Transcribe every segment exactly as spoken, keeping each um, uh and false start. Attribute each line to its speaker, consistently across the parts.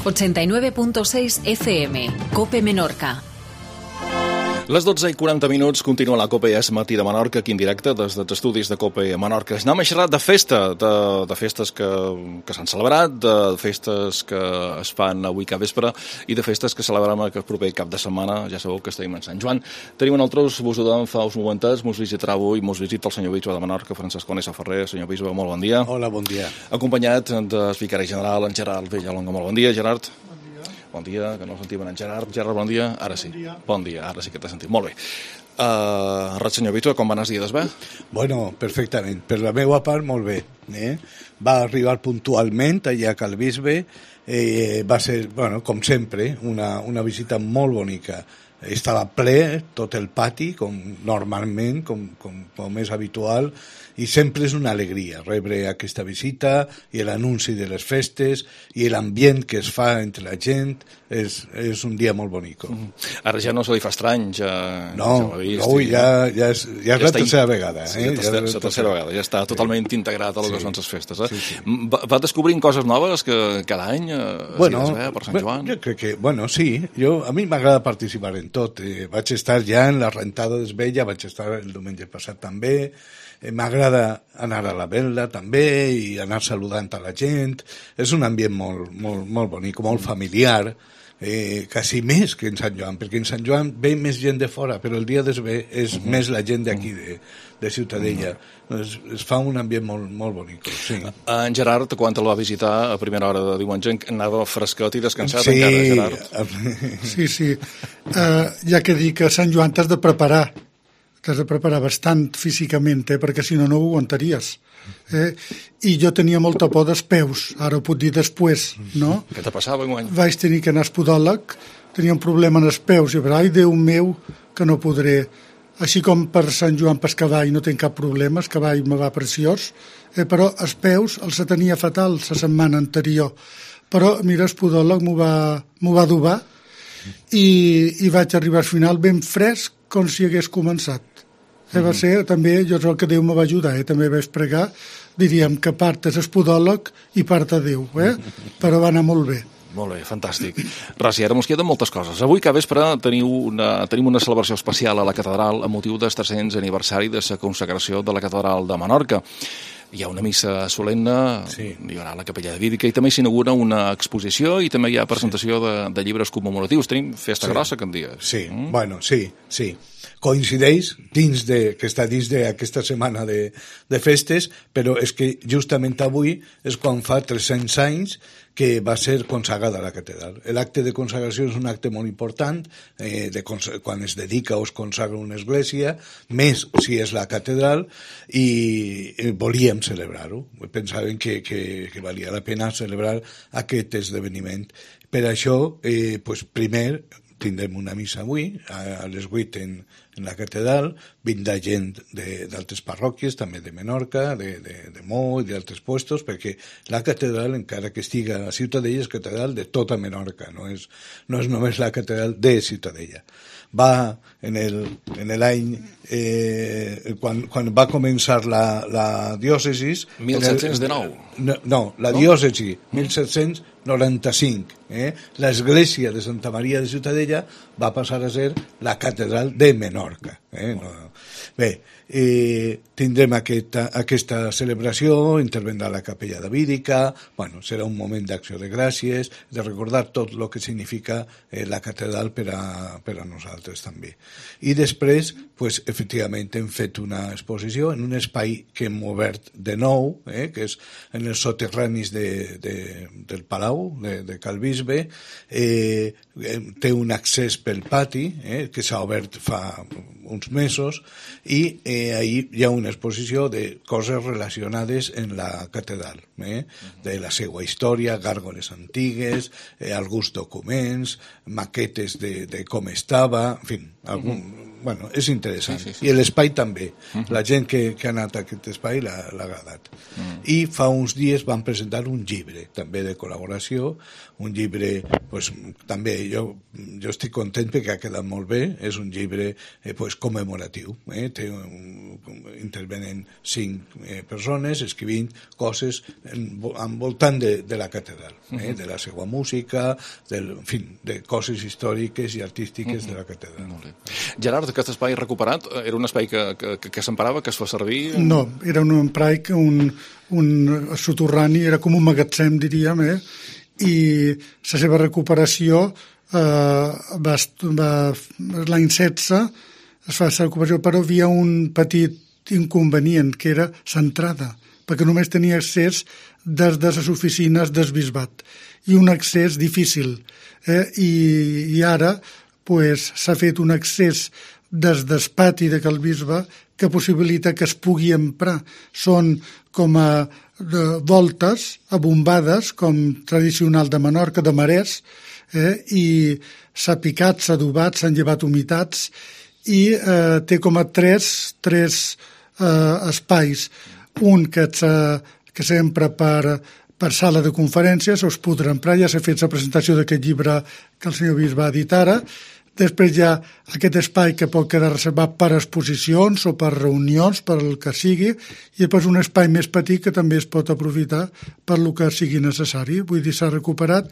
Speaker 1: ochenta y nueve punto seis F M, COPE Menorca.
Speaker 2: Les dotze i quaranta minuts continua la COPE És Matí de Menorca, aquí en directe des dels estudis de COPE Menorca. Anem a xerrar de festa, de, de festes que, que s'han celebrat, de festes que es fan avui cap vespre i de festes que celebrem el proper cap de setmana. Ja sabeu que estem en Sant Joan. Tenim nosaltres, vos ho dèiem fa uns momentets, mos visitarà avui, mos visita el senyor bisbe de Menorca, Francesc Conesa Ferrer. Senyor bisbe, molt bon dia.
Speaker 3: Hola, bon dia.
Speaker 2: Acompanyat del vicari general, en Gerard Villalonga. Molt bon dia, Gerard. Bon dia, que no sentim en Gerard. Gerard, bon dia. Ara sí. Bon dia, bon dia. Ara sí que t'he sentit. Molt bé. Uh, res, senyor bisbe, com van els dies, bé?
Speaker 3: Bueno, perfectament. Per la meva part, molt bé. Eh? Va arribar puntualment allà a Cal Bisbe. Eh, va ser, bueno, com sempre, una, una visita molt bonica. Estava ple tot el pati, com normalment, com, com, com és habitual, i sempre és una alegria rebre aquesta visita i l'anunci de les festes i l'ambient que es fa entre la gent. És, és un dia molt bonic.
Speaker 2: Mm. Ara ja no se li fa estrany, ja,
Speaker 3: no,
Speaker 2: ja ho ha vist.
Speaker 3: No, ja, ja és, ja és ja la tercera in... vegada. Eh?
Speaker 2: Sí, la tercera, ja la tercera vegada, ja està totalment integrat a les sí. que són les festes. Eh?
Speaker 3: Sí, sí.
Speaker 2: Va, va descobrint coses noves que cada any
Speaker 3: bueno,
Speaker 2: es ve per Sant Joan?
Speaker 3: Jo crec que, bueno, sí, jo, a mi m'agrada participar en tot. Eh, vaig estar ja en la rentada d'Esvella, vaig estar el diumenge passat també. Eh, m'agrada anar a la vela també i anar saludant a la gent. És un ambient molt, molt, molt bonic, molt familiar, eh, quasi més que en Sant Joan, perquè en Sant Joan ve més gent de fora, però el dia d'Esvé és uh-huh. més la gent d'aquí, de, de Ciutadella. Uh-huh. es, es fa un ambient molt, molt bonic. Sí.
Speaker 2: En Gerard, quan el va visitar a primera hora de diumenge, anava fresquet i descansat sí. encara, Gerard.
Speaker 4: Sí, sí. Uh, ja que dic que a Sant Joan t'has de preparar, t'has de preparar bastant físicament, eh, perquè si no, no ho aguantaries. Eh? I jo tenia molta por dels peus, ara ho puc dir després, no?
Speaker 2: Què te passava enguany?
Speaker 4: Vaig tenir que anar al podòleg, tenia un problema en els peus, i vaig dir, ai, Déu meu, que no podré. Així com per Sant Joan per cavall no tinc cap problema, el cavall me va preciós, eh, però els peus els tenia fatal la setmana anterior. Però, mira, el podòleg m'ho va, m'ho va adobar i, i vaig arribar al final ben fresc com si hagués començat. Eh, va ser, també, jo crec que Déu me va ajudar, eh? També vaig pregar, diríem que part és el podòleg i part a Déu, eh? Però va anar molt bé.
Speaker 2: Molt bé, fantàstic. Ras, i ara mos queden moltes coses. Avui, que vespre, teniu una, tenim una celebració especial a la catedral amb motiu del tres-cents aniversari de la consagració de la catedral de Menorca. Hi ha una missa solemne, sí. Hi haurà la capella de Vídica i també s'inaugura una exposició i també hi ha presentació sí. de, de llibres commemoratius. Tenim festa sí. grossa, que en dies.
Speaker 3: Sí, mm? bueno, sí, sí. Coincideix dins de, que està dins d'aquesta setmana de, de festes, però és que justament avui és quan fa tres-cents anys que va ser consagrada la catedral. L'acte de consagració és un acte molt important, eh, de quan es dedica o es consagra una església, més si és la catedral, i eh, volíem celebrar-ho. Pensàvem que, que, que valia la pena celebrar aquest esdeveniment. Per això, eh, pues, primer, tindrem una missa avui, a, a les vuit en, en la catedral, vindrà gent d'altres parròquies, també de Menorca, de, de, de Mo i d'altres puestos, perquè la catedral, encara que estiga a Ciutadella, és catedral de tota Menorca, no és, no és només la catedral de Ciutadella. Va en el, en l'any eh, quan, quan va començar la, la diòcesis
Speaker 2: mil set-cents dinou
Speaker 3: no, no, la no? diòcesi mil set-cents noranta-cinc eh? L'església de Santa Maria de Ciutadella va passar a ser la catedral de Menorca eh? no, bé, eh, tindrem aquesta, aquesta celebració, intervendrà la capella de Vídica, bueno, serà un moment d'acció de gràcies, de recordar tot el que significa eh, la catedral per a, per a nosaltres també. I després, pues, efectivament, hem fet una exposició en un espai que hem obert de nou, eh, que és en els soterranis de, de, del Palau, de, de Cal Bisbe, eh, té un accés pel pati, eh, que s'ha obert fa uns mesos, i eh, ahí hi ha una exposició de coses relacionades en la catedral, eh, de la seva història, gàrgoles antigues, eh, alguns documents, maquetes de, de com estava, en fi, algun, bueno, és interessant.
Speaker 2: Sí, sí, sí.
Speaker 3: I l'espai també. Uh
Speaker 2: Mhm.
Speaker 3: -huh. La gent que, que ha anat a aquest espai l'ha l'ha agradat. Uh -huh. I fa uns dies van presentar un llibre, també de col·laboració, un llibre, pues, també jo, jo estic content perquè ha quedat molt bé, és un llibre eh, pues, commemoratiu. Eh? Té un, intervenen cinc eh, persones escrivint coses en, envoltant de, de la catedral, eh? Uh -huh. de la seva música, del, en fi, de coses històriques i artístiques uh -huh. de la catedral.
Speaker 2: Molt bé. Gerard, aquest espai recuperat era un espai que, que, que, que s'emparava, que es fa servir?
Speaker 4: No, era un espai, un, un soterrani, era com un magatzem, diríem, eh? I la seva recuperació eh, va, va, l'any setze es fa la recuperació, però hi havia un petit inconvenient, que era l'entrada, perquè només tenia accés des de les oficines del bisbat, i un accés difícil. Eh? I, I ara pues, s'ha fet un accés des del pati de Cal Bisbe que possibilita que es pugui emprar. Són com a de voltes abombades, com tradicional de Menorca, de marès, eh? I s'ha picat, s'ha adobat, s'han llevat humitats, i eh, té com a tres, tres eh, espais. Un que, que s'empra per, per sala de conferències, us podrà emprar, ja s'ha fet la presentació d'aquest llibre que el senyor Bisbe va editar ara. Després hi ha aquest espai que pot quedar reservat per exposicions o per reunions, per el que sigui, i després un espai més petit que també es pot aprofitar per el que sigui necessari. Vull dir, s'ha recuperat,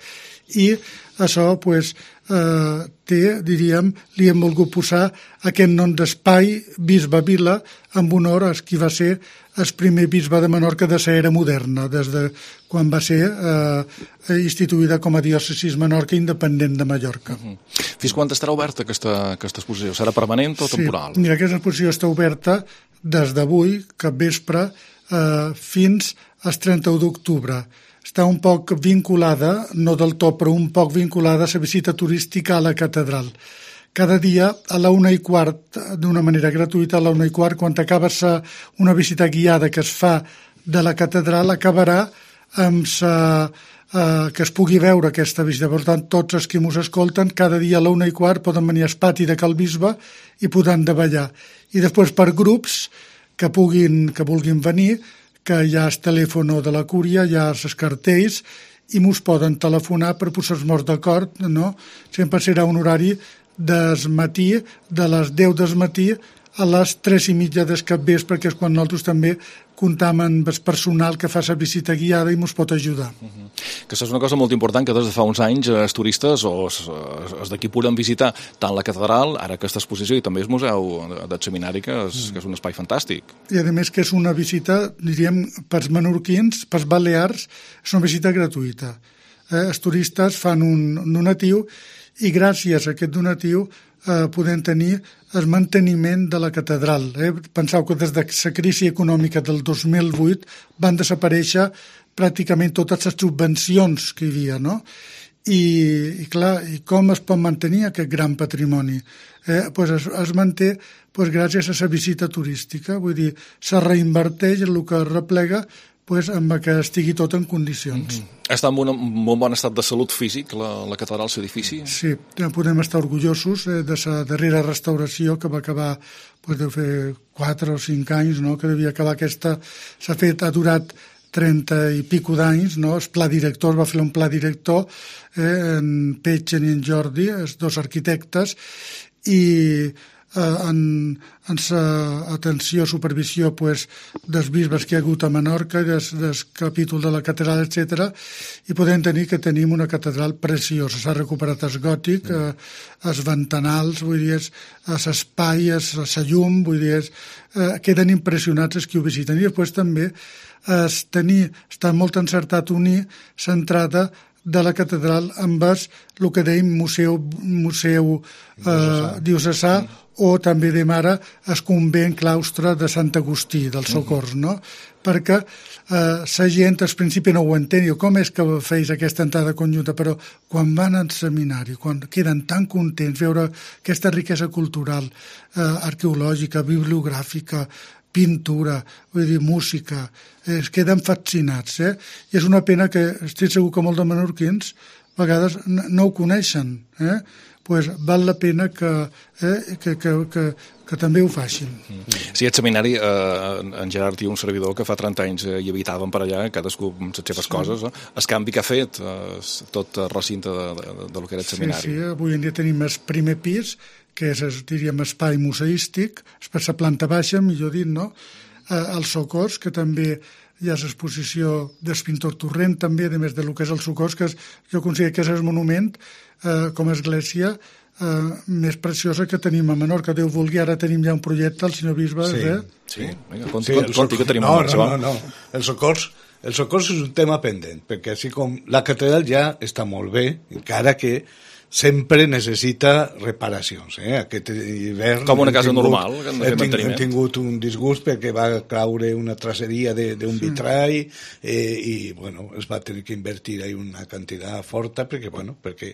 Speaker 4: i això pues, eh, té, diríem, li hem volgut posar aquest nom d'espai Bisbe Vila en honor a qui va ser el primer bisbe de Menorca de l'era moderna, des de quan va ser eh, instituïda com a diòcesis Menorca independent de Mallorca.
Speaker 2: Uh -huh. Fins quan estarà oberta aquesta, aquesta exposició? Serà permanent o temporal?
Speaker 4: Sí, mira, aquesta exposició està oberta des d'avui, cap vespre, eh, fins al trenta-u d'octubre. Està un poc vinculada, no del tot, però un poc vinculada a la visita turística a la catedral. Cada dia a la una i quart, d'una manera gratuïta, a la una i quart, quan acaba una visita guiada que es fa de la catedral, acabarà amb sa, eh, que es pugui veure aquesta visita. Per tant, tots els que ens escolten, cada dia a la una i quart poden venir al pati de Cal Bisbe i podran davallar. I després per grups que puguin, que vulguin venir, que hi ha el telèfon de la cúria, hi ha els cartells, i mos poden telefonar per posar-nos d'acord, no? Sempre serà un horari del matí, de les deu del matí a les tres i mitja del capvespre, perquè és quan nosaltres també comptam amb el personal que fa la visita guiada i ens pot ajudar.
Speaker 2: Uh -huh. Que això és una cosa molt important, que des de fa uns anys els turistes o els, els d'aquí puguin visitar tant la catedral, ara aquesta exposició, i també el museu del seminari, que és, que és un espai fantàstic.
Speaker 4: I a més que és una visita, diríem, pels menorquins, pels balears, és una visita gratuïta. Eh, els turistes fan un donatiu i gràcies a aquest donatiu eh, podem tenir el manteniment de la catedral. Eh? Penseu que des de la crisi econòmica del dos mil vuit van desaparèixer pràcticament totes les subvencions que hi havia, no? I, i clar, i com es pot mantenir aquest gran patrimoni? Eh, pues es, es manté pues, gràcies a la visita turística, vull dir, se reinverteix en el que es replega pues, amb que estigui tot en condicions.
Speaker 2: Mm-hmm. Està en un molt bon estat de salut físic, la, la catedral, l'edifici?
Speaker 4: Sí, podem estar orgullosos eh, de la darrera restauració que va acabar pues, de fer quatre o cinc anys, no? Que devia acabar aquesta... S'ha fet, ha durat trenta i pico d'anys, no? El pla director, va fer un pla director, eh, en Petgen i en Jordi, els dos arquitectes, i en, en sa atenció, supervisió pues, dels bisbes que hi ha hagut a Menorca, del, del capítol de la catedral, etcètera, i podem tenir que tenim una catedral preciosa. S'ha recuperat el gòtic, eh, els ventanals, vull dir, l'espai, la llum, vull dir, eh, queden impressionats els que ho visiten. I després també es tenir, està molt encertat unir l'entrada de la catedral amb el que deim museu, museu eh, diocesà, o també de mare el convent claustre de Sant Agustí, del Socors, no? Perquè eh, la gent al principi no ho entén, diu, com és que feis aquesta entrada conjunta, però quan van al seminari, quan queden tan contents veure aquesta riquesa cultural, eh, arqueològica, bibliogràfica, pintura, vull dir, música, eh, es queden fascinats, eh? I és una pena que estic segur que molts de menorquins a vegades no ho coneixen, eh? Pues val la pena que, eh, que, que, que, que també ho facin.
Speaker 2: Sí, aquest seminari, eh, en Gerard i un servidor que fa trenta anys eh, hi habitàvem per allà, cadascú amb les seves sí. coses, eh? El canvi que ha fet eh, tot el recinte de, de, de, de lo que era el seminari.
Speaker 4: Sí, sí, avui en dia tenim el primer pis, que és, diríem, espai museístic, per la planta baixa, millor dit, no? Eh, el Socors, que també hi ha l'exposició del pintor Torrent, també, a més del que és el Socors, que és, jo considero que és el monument, eh, com a església, eh, més preciosa que tenim a Menorca. Déu vulgui, ara tenim ja un projecte, el senyor bisbe,
Speaker 3: sí.
Speaker 4: eh?
Speaker 2: Sí, vinga, conti, sí, conti que tenim
Speaker 3: no,
Speaker 2: un
Speaker 3: no, no, no, el Socors, el Socors és un tema pendent, perquè així com la catedral ja està molt bé, encara que sempre necessita reparacions. Eh? Aquest hivern...
Speaker 2: Com una casa
Speaker 3: tingut,
Speaker 2: normal, que han de fer
Speaker 3: hem,
Speaker 2: manteniment.
Speaker 3: Hem tingut un disgust perquè va caure una traceria d'un vitrall eh, i, bueno, es va tenir que invertir ahí una quantitat forta perquè, bueno, perquè...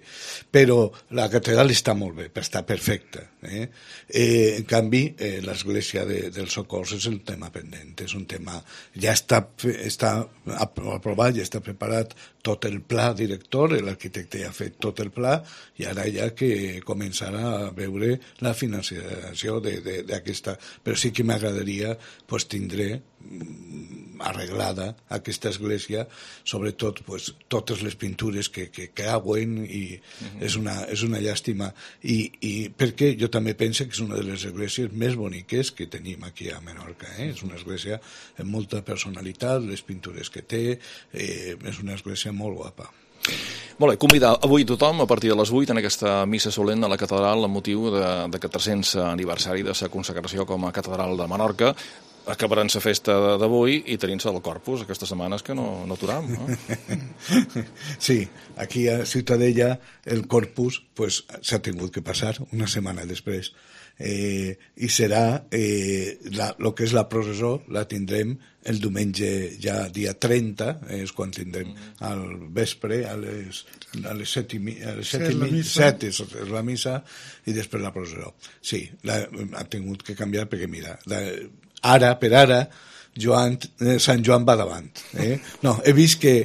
Speaker 3: Però la catedral està molt bé, està perfecta. Eh? Eh, en canvi, eh, l'església de, del Socors és el tema pendent, és un tema... Ja està, està aprovat, ja està preparat tot el pla director, l'arquitecte ja ha fet tot el pla, i ara hi ha que començar a veure la financiació d'aquesta... Però sí que m'agradaria pues, tindre arreglada aquesta església, sobretot pues, totes les pintures que, que cauen i uh-huh. és, una, és una llàstima. I, i perquè jo també penso que és una de les esglésies més boniques que tenim aquí a Menorca. Eh? És una església amb molta personalitat, les pintures que té, eh, és una església molt guapa.
Speaker 2: Molt bé, convidar avui tothom a partir de les vuit en aquesta missa solemne a la catedral amb motiu de, de quatre-cents aniversari de la consagració com a catedral de Menorca. Acabaran la festa d'avui i tenint-se el Corpus aquestes setmanes que no, no aturam. No?
Speaker 3: Sí, aquí a Ciutadella el Corpus pues, s'ha tingut que passar una setmana després eh, i serà eh, la, lo que és la processó la tindrem el diumenge ja dia trenta, és quan tindrem al vespre a les, a les set i, a les set, set, i mi, set és, és la missa i després la processó. Sí, la, ha tingut que canviar perquè mira, la, ara, per ara, Joan, eh, Sant Joan va davant. Eh? No, he vist que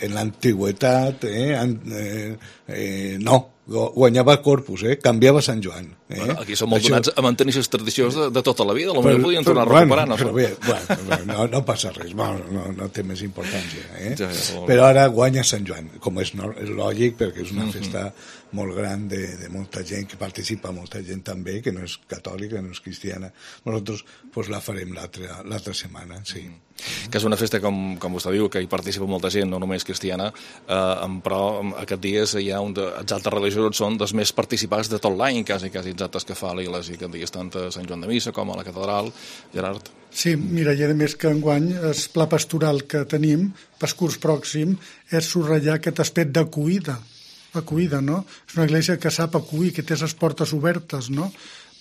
Speaker 3: en l'antigüetat eh, eh, eh, no, guanyava Corpus, eh? Canviava Sant Joan. Eh?
Speaker 2: Bueno, aquí som molt Això... donats a mantenir les tradicions de, de tota la vida, potser podien tornar a recuperar.
Speaker 3: Bueno,
Speaker 2: no?
Speaker 3: Bé, bueno, no, no passa res, no, no, no té més importància. Eh?
Speaker 2: Ja, ja,
Speaker 3: però ara guanya Sant Joan, com és, no, és lògic, perquè és una mm-hmm. festa molt gran de, de molta gent que participa, molta gent també, que no és catòlica, no és cristiana. Nosaltres pues, la farem l'altra setmana, sí. Mm.
Speaker 2: Que és una festa, com, com vostè diu, que hi participa molta gent, no només cristiana, eh, però aquests dies hi ha un de, els altres religiosos són dels més participats de tot l'any, quasi, quasi els actes que fa l'Iglésia, que dies tant a Sant Joan de Missa com a la catedral. Gerard?
Speaker 4: Sí, mira, i a més que enguany el pla pastoral que tenim, per curs pròxim, és subratllar aquest aspecte d'acollida, acollida, no? És una església que sap acollir, que té les portes obertes, no?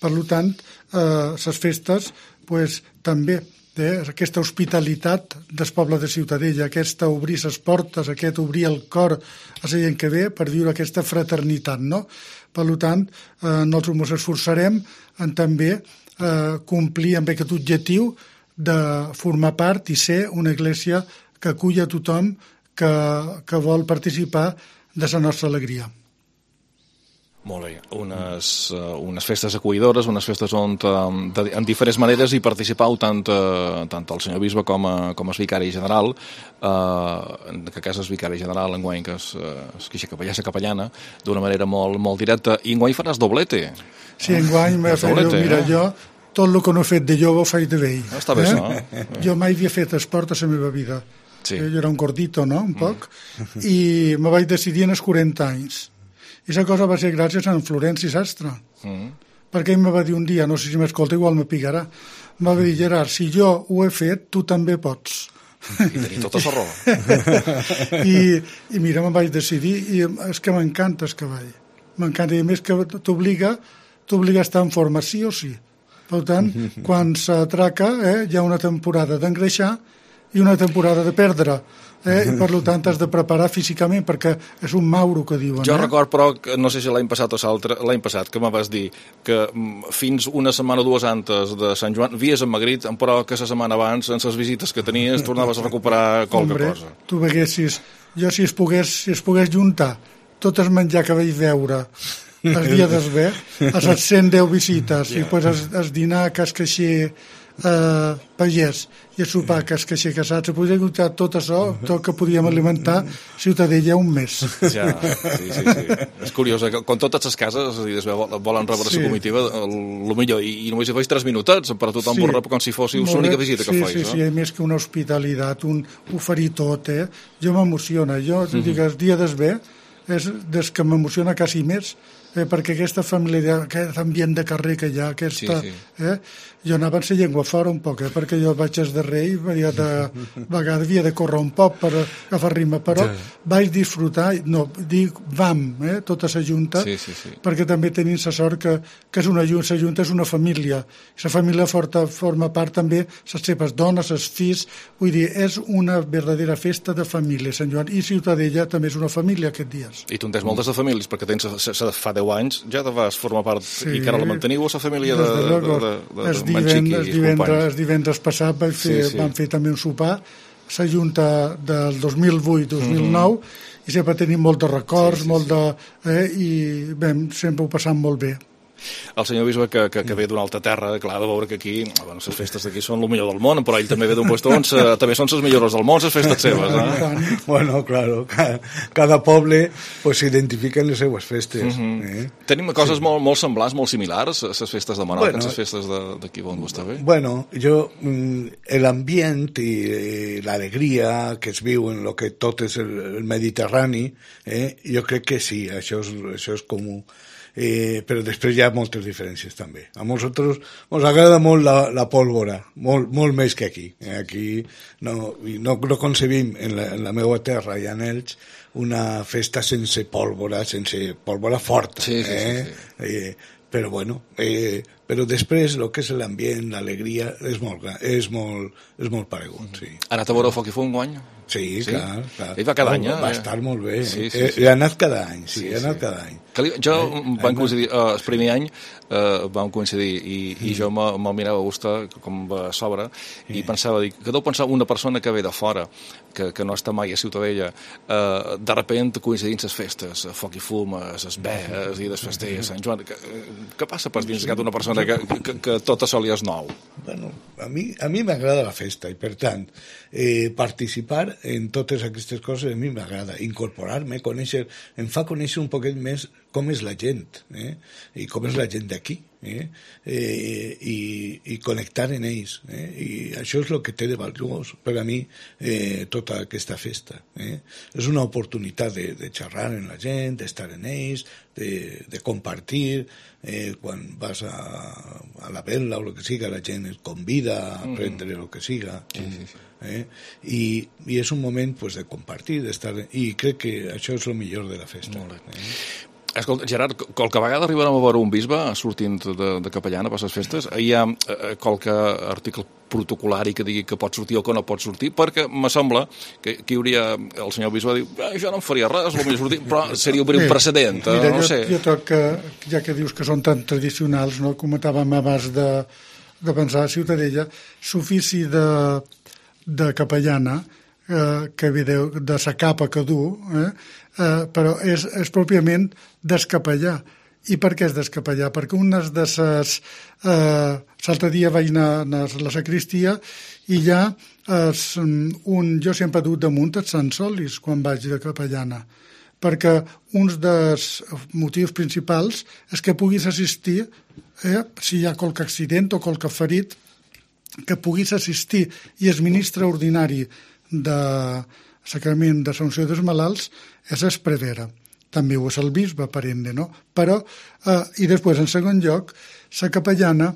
Speaker 4: Per tant, eh, les festes, pues, també eh, aquesta hospitalitat del poble de Ciutadella, aquesta obrir les portes, aquest obrir el cor a la gent que ve per viure aquesta fraternitat, no? Per tant, eh, nosaltres ens esforçarem en també eh, complir amb aquest objectiu de formar part i ser una església que acull a tothom que, que vol participar de la nostra alegria.
Speaker 2: Molt bé, unes, uh, unes festes acollidores, unes festes on uh, de, en diferents maneres hi participau tant, uh, tant el senyor bisbe com a, com a vicari general, uh, que casa és vicari general enguany, que és, uh, és capellà, capellana, d'una manera molt, molt directa, i enguany faràs doblete.
Speaker 4: Sí, enguany m'he fet, jo, mira, eh? jo tot el que no he fet de jove ho faig de vell.
Speaker 2: Ah, està bé,
Speaker 4: eh?
Speaker 2: no?
Speaker 4: Jo mai havia fet esport a la meva vida. Sí. Jo era un gordito, no?, un poc, mm. i me vaig decidir en els quaranta anys. I la cosa va ser gràcies a en Florenci Sastre, mm. perquè ell me va dir un dia, no sé si m'escolta, igual me picarà, me va dir, Gerard, si jo ho he fet, tu també pots.
Speaker 2: I tenia tota la raó.
Speaker 4: I, I mira, me'n vaig decidir, i és que m'encanta el cavall. M'encanta, i a més que t'obliga, t'obliga a estar en forma, sí o sí. Per tant, quan s'atraca, eh, hi ha una temporada d'engreixar, i una temporada de perdre. Eh? Per tant, has de preparar físicament, perquè és un mauro que diuen.
Speaker 2: Jo
Speaker 4: eh?
Speaker 2: record, però, que, no sé si l'any passat o l'altre, l'any passat, que me vas dir que fins una setmana o dues antes de Sant Joan havies emagrit, però que la setmana abans, en les visites que tenies, tornaves a recuperar qualque
Speaker 4: Hombre,
Speaker 2: cosa.
Speaker 4: Tu veguessis, jo si es pogués, si es pogués juntar tot el menjar que vaig veure el dia d'esver, a les cent deu visites, yeah. i després es, es dinar a Cascaixer eh, pagès i a sopar a Cascaixer casat, se podria juntar tot això, tot que podíem alimentar Ciutadella un mes.
Speaker 2: Ja, sí, sí, sí. És curiós, eh? Quan totes les cases volen rebre
Speaker 4: sí.
Speaker 2: la comitiva, el millor, i, i només hi faig tres minutets, per a tothom sí. rep com si fóssiu l'única visita que
Speaker 4: sí,
Speaker 2: faig.
Speaker 4: Sí,
Speaker 2: no?
Speaker 4: sí, més que una hospitalitat, un oferir tot, eh? Jo m'emociona, jo, mm -hmm. dic, el dia d'esver és des que m'emociona quasi més, eh, perquè aquesta família, aquest ambient de carrer que hi ha, aquesta, sí, sí. Eh, jo anava en la llengua fora un poc, eh, perquè jo vaig des de rei, havia de, vegades havia de córrer un poc per agafar ritme, però sí. vaig disfrutar, no, dic vam, eh, tota la junta,
Speaker 2: sí, sí, sí.
Speaker 4: perquè també tenim la sort que, que és una junta, la junta és una família, i la família forta, forma part també les seves dones, els fills, vull dir, és una verdadera festa de família, Sant Joan, i Ciutadella també és una família aquests dies.
Speaker 2: I tu en tens moltes de famílies, perquè tens, fa deu anys ja te vas formar part, sí, i que ara la manteniu a la família de, de, de, de, de, de Manxiqui i
Speaker 4: divendres, el divendres passat vaig fer, sí, sí. vam fer també un sopar, la junta del dos mil vuit dos mil nou, mm-hmm. i sempre tenim molts de records, sí, sí, molt de, eh, i bé, sempre ho passam molt bé.
Speaker 2: El senyor bisbe que, que, que ve d'una altra terra, clar, de veure que aquí, bueno, les festes d'aquí són el millor del món, però ell també ve d'un lloc on també són les millors del món, les festes seves, eh?
Speaker 3: Bueno, claro, cada, cada poble pues, s'identifica en les seues festes. Mm-hmm. eh?
Speaker 2: Tenim coses sí. molt, molt semblants, molt similars, a les festes de Menorca, bueno, les festes d'aquí on està bé?
Speaker 3: Bueno, jo, l'ambient i, i l'alegria que es viu en el que tot és el, el Mediterrani, eh? jo crec que sí, això és, això és comú. Eh, però després hi ha moltes diferències també. A nosaltres ens agrada molt la, la pólvora, molt, molt més que aquí. Eh, aquí no, no, no concebim en la, en la meva terra i en Elx una festa sense pólvora, sense pólvora forta.
Speaker 2: Sí, sí,
Speaker 3: eh?
Speaker 2: sí, sí.
Speaker 3: Eh, però bueno, eh, però després el que és l'ambient, l'alegria, és molt, és molt, és molt paregut. Mm-hmm. Sí.
Speaker 2: Ha anat a veure Foc i Fum guany?
Speaker 3: Sí, sí, clar, clar.
Speaker 2: Ell va cada any, eh?
Speaker 3: Va estar molt bé.
Speaker 2: Sí, sí,
Speaker 3: eh?
Speaker 2: sí.
Speaker 3: He anat cada any, sí, sí he anat
Speaker 2: sí.
Speaker 3: cada any.
Speaker 2: Li, jo eh, vam coincidir, uh, el primer any uh, vam coincidir i, i jo me'l me mirava a gustar com va a sobre i pensava, dic, que deu pensar una persona que ve de fora, que, que no està mai a Ciutadella, uh, de repente coincidint les festes, Foc i Fum, les vees i les festers, Sant Joan, que, què passa per dins d'una persona que, que, que tot això li és nou?
Speaker 3: Bueno, a mi a mi m'agrada la festa i per tant eh, participar en totes aquestes coses a mi m'agrada, incorporar-me, conèixer, em fa conèixer un poquet més com és la gent, eh? I com és la gent d'aquí, eh? Eh, i, i connectar en ells. Eh? I això és el que té de valuós per a mi eh, tota aquesta festa. Eh? És una oportunitat de, de xerrar amb la gent, d'estar en ells, de, de compartir, eh, quan vas a, a la vela o el que siga, la gent et convida a aprendre el que siga. Sí, sí, sí. Eh? I, i és un moment pues, de compartir, d'estar, i crec que això és el millor de la festa. Eh?
Speaker 2: Escolta, Gerard, qualque vegada arribarem a veure un bisbe sortint de, de capellana per les festes? Hi ha eh, qualque article protocolari que digui que pot sortir o que no pot sortir? Perquè me sembla que aquí hauria el senyor bisbe diu, eh, jo no em faria res, el sortir, però seria obrir un precedent, eh,
Speaker 4: mira,
Speaker 2: no
Speaker 4: jo,
Speaker 2: sé.
Speaker 4: Jo troc que, ja que dius que són tan tradicionals, no? Comentàvem abans de, de pensar a Ciutadella, l'ofici de, de capellana, eh, que ve de, de sa capa que du, eh, eh, però és, és pròpiament descapellar. I per què és descapellar? Perquè unes de ses... Eh, l'altre dia vaig anar, anar a la sacristia i ja es, un, jo sempre he dut damunt els Sant Solis quan vaig de capellana, perquè un dels motius principals és que puguis assistir, eh, si hi ha qualque accident o qualque ferit, que puguis assistir i el ministre ordinari de Sacrament de Sanció dels Malalts és el prevere. També ho és el bisbe, per ende, no? Però, eh, i després, en segon lloc, la capellana,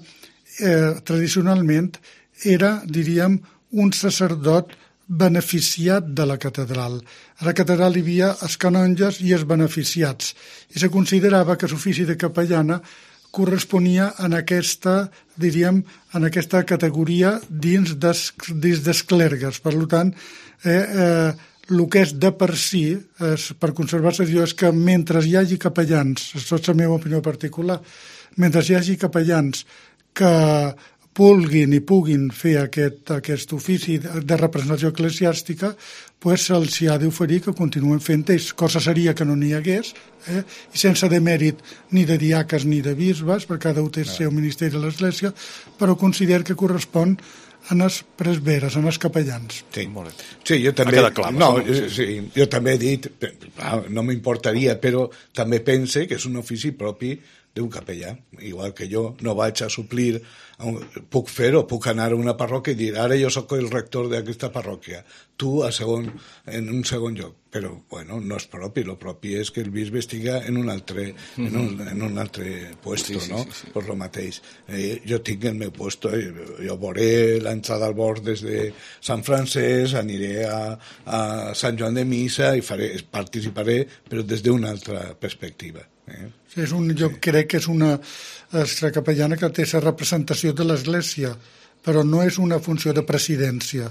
Speaker 4: eh, tradicionalment, era, diríem, un sacerdot beneficiat de la catedral. A la catedral hi havia els canonges i els beneficiats, i se considerava que l'ofici de capellana corresponia en aquesta, diríem, en aquesta categoria dins des, dins dels clergues. Per tant, eh, eh, el que és de per si, és, per conservar-se, és que mentre hi hagi capellans, això és la meva opinió particular, mentre hi hagi capellans que vulguin i puguin fer aquest, aquest ofici de representació eclesiàstica, pues se'ls ha d'oferir que continuen fent ells. Cosa seria que no n'hi hagués, eh? I sense demèrit ni de diaques ni de bisbes, perquè cada un té el seu ministeri a l'Església, però considero que correspon en els presberes, en els capellans.
Speaker 3: Sí, sí, jo també, clar, no, sí, sí, jo també he dit, no m'importaria, però també pense que és un ofici propi d'un capellà, igual que jo no vaig a suplir, puc fer-ho, puc anar a una parròquia i dir, ara jo sóc el rector d'aquesta parròquia, tu a segon, en un segon lloc, però bueno, no és propi, el propi és que el bisbe estiga en un altre, en un, en un altre puesto, sí, sí, no? Sí, sí. Per lo mateix. Eh, jo tinc el meu puesto, eh, jo veuré l'entrada al bord des de Sant Francesc, aniré a, a Sant Joan de Missa i faré, participaré, però des d'una altra perspectiva. Eh?
Speaker 4: Sí, és un, jo sí. crec que és una estra capellana que té la representació de l'Església, però no és una funció de presidència.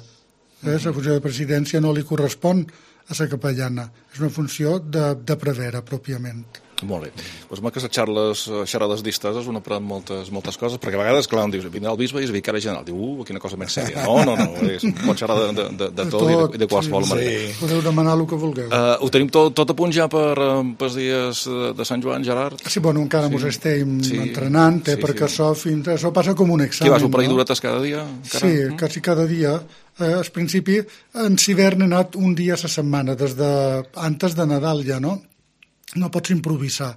Speaker 4: Eh? La funció de presidència no li correspon a la capellana, és una funció de, de prevera, pròpiament.
Speaker 2: Molt bé. Doncs amb aquestes xarles, xerrades disteses un aprèn moltes, moltes coses, perquè a vegades, clar, em dius, vindrà el bisbe i és vicari general. Diu, uh, quina cosa més sèria. No, no, no, és, pot xerrar de, de, de, de tot, tot i de, de qualsevol sí, manera.
Speaker 4: Sí. Podeu demanar el que vulgueu.
Speaker 2: Uh, ho tenim tot, tot a punt ja per, pels dies de Sant Joan, Gerard?
Speaker 4: Sí, bueno, encara sí. mos estem sí. entrenant, eh, sí, perquè sí. Això, fins, això passa com un examen.
Speaker 2: Què vas, un parell d'horetes cada dia? Encara?
Speaker 4: Sí, mm? quasi cada dia. Eh, al principi, en hivern he anat un dia a la setmana, des de, antes de Nadal ja, no? No pots improvisar.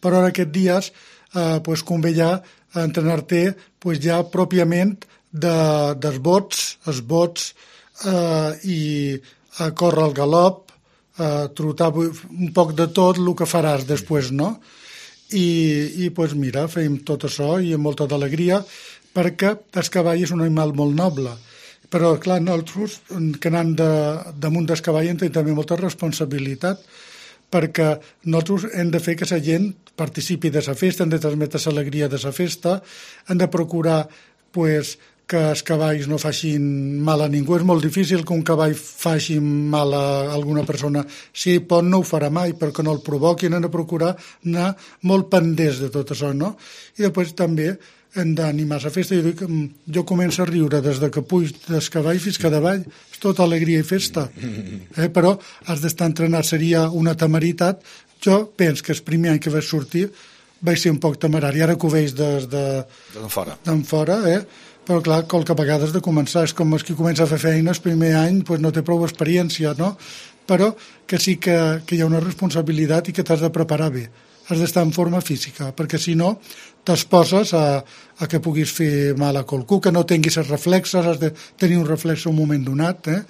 Speaker 4: Però en aquests dies eh, pues, convé ja entrenar-te pues, ja pròpiament de, dels bots, els bots eh, i a córrer al galop, eh, trotar un poc de tot el que faràs després, no? I, i pues, mira, fem tot això i amb molta d'alegria, perquè el cavall és un animal molt noble. Però, clar, nosaltres, que anant de, damunt del cavall, en tenim també molta responsabilitat, perquè nosaltres hem de fer que la gent participi de la festa, hem de transmetre l'alegria de la festa, hem de procurar pues, que els cavalls no facin mal a ningú. És molt difícil que un cavall faci mal a alguna persona. Si pot, no ho farà mai, perquè no el provoquin, hem de procurar anar molt pendents de tot això, no? I després també hem d'animar la festa. Jo, dic, jo començo a riure des de que puig des cavall fins que davall, és tota alegria i festa. Eh? Però has d'estar entrenat, seria una temeritat. Jo penso que el primer any que vaig sortir vaig ser un poc temerari, ara que ho veig des de...
Speaker 2: D'en fora.
Speaker 4: D'en fora, eh? Però clar, qualque vegada has de començar, és com els que comença a fer feina el primer any, pues no té prou experiència, no? Però que sí que, que hi ha una responsabilitat i que t'has de preparar bé. Has d'estar en forma física, perquè si no t'exposes a, a que puguis fer mal a qualcú, que no tinguis els reflexes, has de tenir un reflex en un moment donat, eh?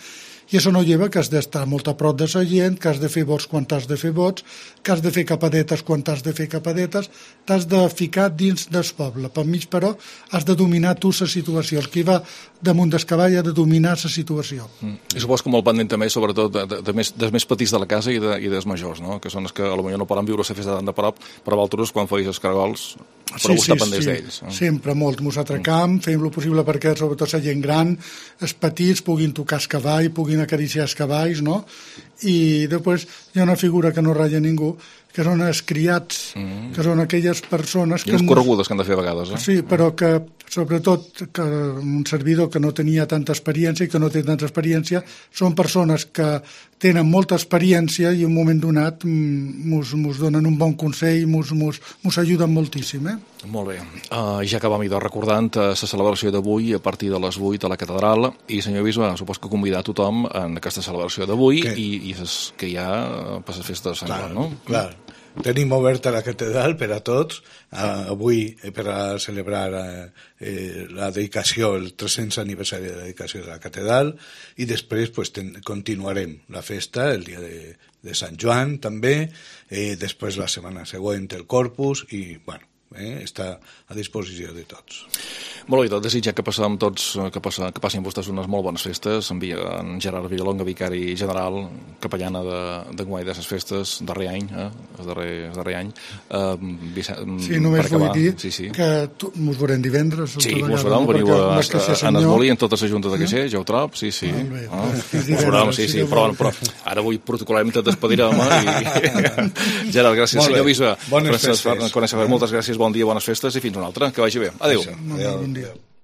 Speaker 4: I això no lleva que has d'estar molt a prop de la gent, que has de fer vots quan t'has de fer vots, que has de fer capadetes quan t'has de fer capadetes, t'has de ficar dins del poble. Per mig, però, has de dominar tu la situació. El que va damunt del cavall ha de dominar la situació.
Speaker 2: Mm. I supos que molt pendent també, sobretot, de, de, de més, dels més petits de la casa i, de, i dels majors, no? Que són els que potser no poden viure la festa tan de prop, però vosaltres, quan feis els caragols, però sí, sí, pendents sí. d'ells. Eh?
Speaker 4: Sempre, molt. Mos atracam, mm. fem el possible perquè, sobretot, la gent gran, els petits, puguin tocar el cavall, puguin acariciar els cavalls, no? I després hi ha una figura que no ratlla ningú, que són els criats, mm. que són aquelles persones...
Speaker 2: I les corregudes que han de fer a vegades, eh?
Speaker 4: Sí, però que, sobretot, que un servidor que no tenia tanta experiència i que no té tanta experiència, són persones que tenen molta experiència i en un moment donat mos, mos donen un bon consell i mos, mos, mos ajuden moltíssim, eh?
Speaker 2: Molt bé. Uh, ja que vam idò recordant la uh, celebració d'avui a partir de les vuit a la catedral, i senyor bisbe, supos que convidar tothom en aquesta celebració d'avui i, i que hi ha uh, per les festes de Sant Joan, no?
Speaker 3: Clar. Tenim oberta la catedral per a tots, uh, avui per a celebrar uh, eh, la dedicació, el tres-cents aniversari de la dedicació de la catedral, i després pues, ten, continuarem la festa el dia de, de Sant Joan també, eh, després la setmana següent el Corpus, i bueno, eh? Està a disposició de tots.
Speaker 2: Molt bé, tot desitjar que passem tots, que, passa, que passin vostès unes molt bones festes. Envia en Gerard Villalonga, vicari general, capellana d'enguany de les festes, darrer any, eh? el, darrer, el darrer any. Uh, Vicent,
Speaker 4: sí, només vull dir
Speaker 2: sí, sí.
Speaker 4: que ens veurem divendres.
Speaker 2: Sí, ens veurem, veniu a, a, a Nesmolí, en totes les juntes de Caixer, ja ho trob, sí, sí.
Speaker 4: Molt bé,
Speaker 2: ah,
Speaker 4: doncs,
Speaker 2: veurem, sí, sí, però, però ara avui protocolem tot despedirem. I... Gerard, gràcies, senyor bisbe.
Speaker 3: Bones festes.
Speaker 2: Moltes gràcies, bon dia, bones festes i fins una altra. Que vagi bé. Adéu.
Speaker 3: Adéu. Adéu.